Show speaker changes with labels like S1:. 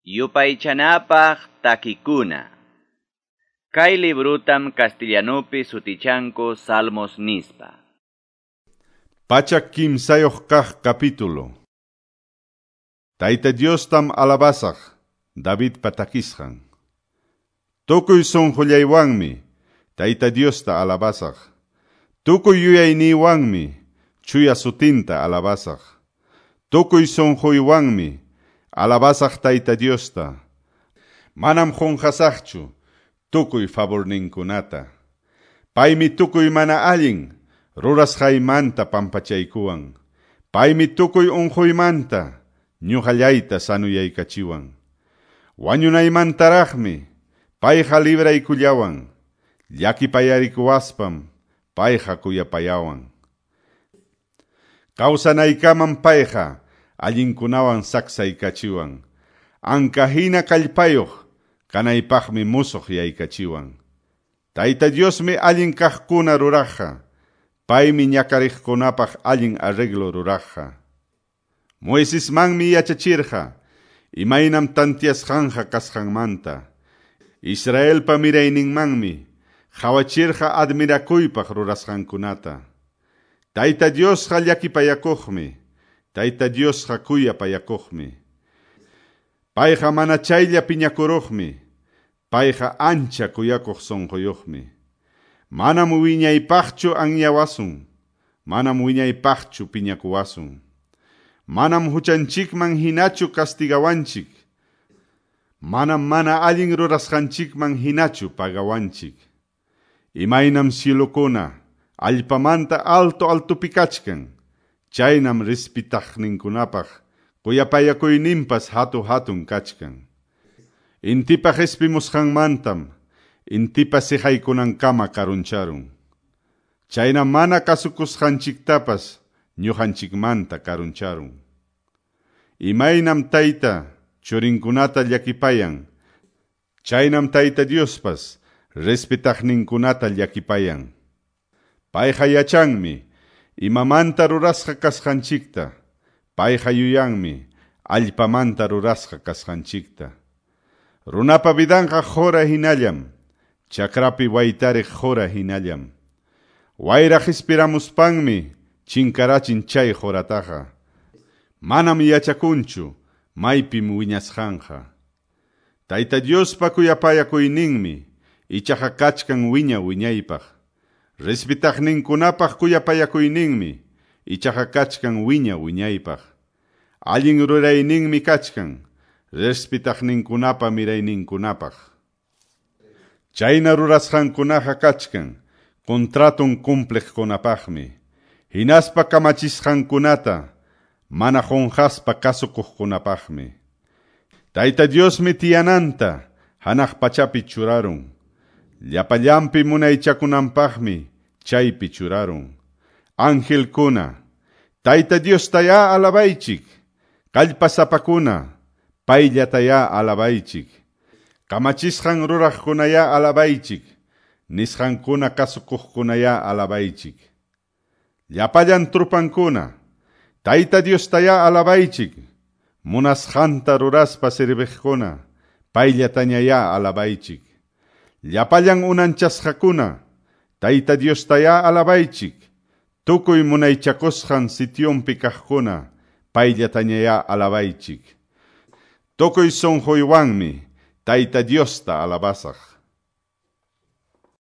S1: Yupaychanapaq takikuna. Kay librutam castellanupi sutichanku Salmos nispa.
S2: 103 kaq capítulo. Tayta Diostam alabasaq, Davidpa takisqan. Tukuy sunqullaywanmi Tayta Diosta alabasaq. Tukuy yuyayniywanmi chuya sutinta alabasaq. Tukuy sunquywanmi alabasaq Tayta Diosta. Manam qunqasaqchu tukuy favorninkunata. Paymi tukuy mana allin rurasqaymanta pampachaykuwan. Paymi tukuy unquymanta ñuqallayta sanuyaykachiwan. Wañunaymantaraqmi payqa libraykullawan. Llakipayarikuwaspam payqa kuyapayawan. Kawsanaykaman payqa allinkunawan saksaykachiwan. Anka hina kallpayuq kanaypaqmi musuq yaykachiwan. Tayta Diosmi allin kaqkuna ruraqqa. Paymi ñakariqkunapaq allin arreglo ruraqqa. Moisesmanmi yachachirqa imaynam tantiasqanqa kasqanmanta. Israelpa mirayninmanmi qhawachirqa admirakuypaq rurasqankunata. Tayta Diosqa llakipayakuqmi. Tayta Diosqa kuyapayakuqmi. Payqa mana chaylla piñakuruqmi. Payqa ancha kuyakuq sunquyuqmi. Manam wiñaypaqchu anyawasun. Manam wiñaypaqchu piñakuwasun. Manam huchanchikman hinachu castigawanchik. Manam mana allin rurasqanchikman hinachu pagawanchik. Imaynam cielokuna allpamanta alto altopi kachkan. Chaynam respitaqninkunapaq kuyapayakuyninpas hatu hatun kachkan. Intipa qispimusqanmantam intipa siqaykunankama karuncharun. Chaynam mana kasukusqanchiktapas ñuqanchikmanta karuncharun. Imaynam tayta churinkunata llakipayan, chaynam Tayta Diospas respetaqninkunata llakipayan. Payqa yachanmi imamanta rurasqa kasqanchikta, payqa yuyanmi allpamanta rurasqa kasqanchikta. Runapa vidanqa qhura hinallam, chakrapi waytariq qhura hinallam. Wayra qispiramuspanmi chinkarachin chay qhurataqa. Manam yachakunchu maypim wiñasqanqa. Tayta Diospa kuyapayakuyninmi ichaqa kachkan wiña wiñaypaq. Respetaqninkunapaq kuyapayakuyninmi ichaqa kachkan wiña wiñaypaq. Allin rurayninmi kachkan respetaqninkunapa mirayninkunapaq. Chayna rurasqankunaqa kachkan contraton cumpliqkunapaqmi. Hinaspa kamachisqankunata mana qunqaspa kasukuqkunapaqmi. Tayta Diosmi tiyananta hanaq pachapi churarun. Llapallanpi munaychakunanpaqmi chaypi churarun. Angelkuna, Tayta Diostayá alabaychik. Kallpasapakuna, payllatayá alabaychik. Kamachisqan ruraqkunayá alabaychik. Nisqankuna kasukuqkunayá alabaychik. Llapallan trupankuna, Tayta Diostayá alabaychik. Munasqanta ruraspa serviqkuna, payllatañayá alabaychik. Llapallan unanchasqakuna, Tayta Diostayá alabaychik. Tukuy munaychakusqan sitionpi kaqkuna, payllatañayá alabaychik. Tukuy sunquywanmi Tayta Diosta alabasaq.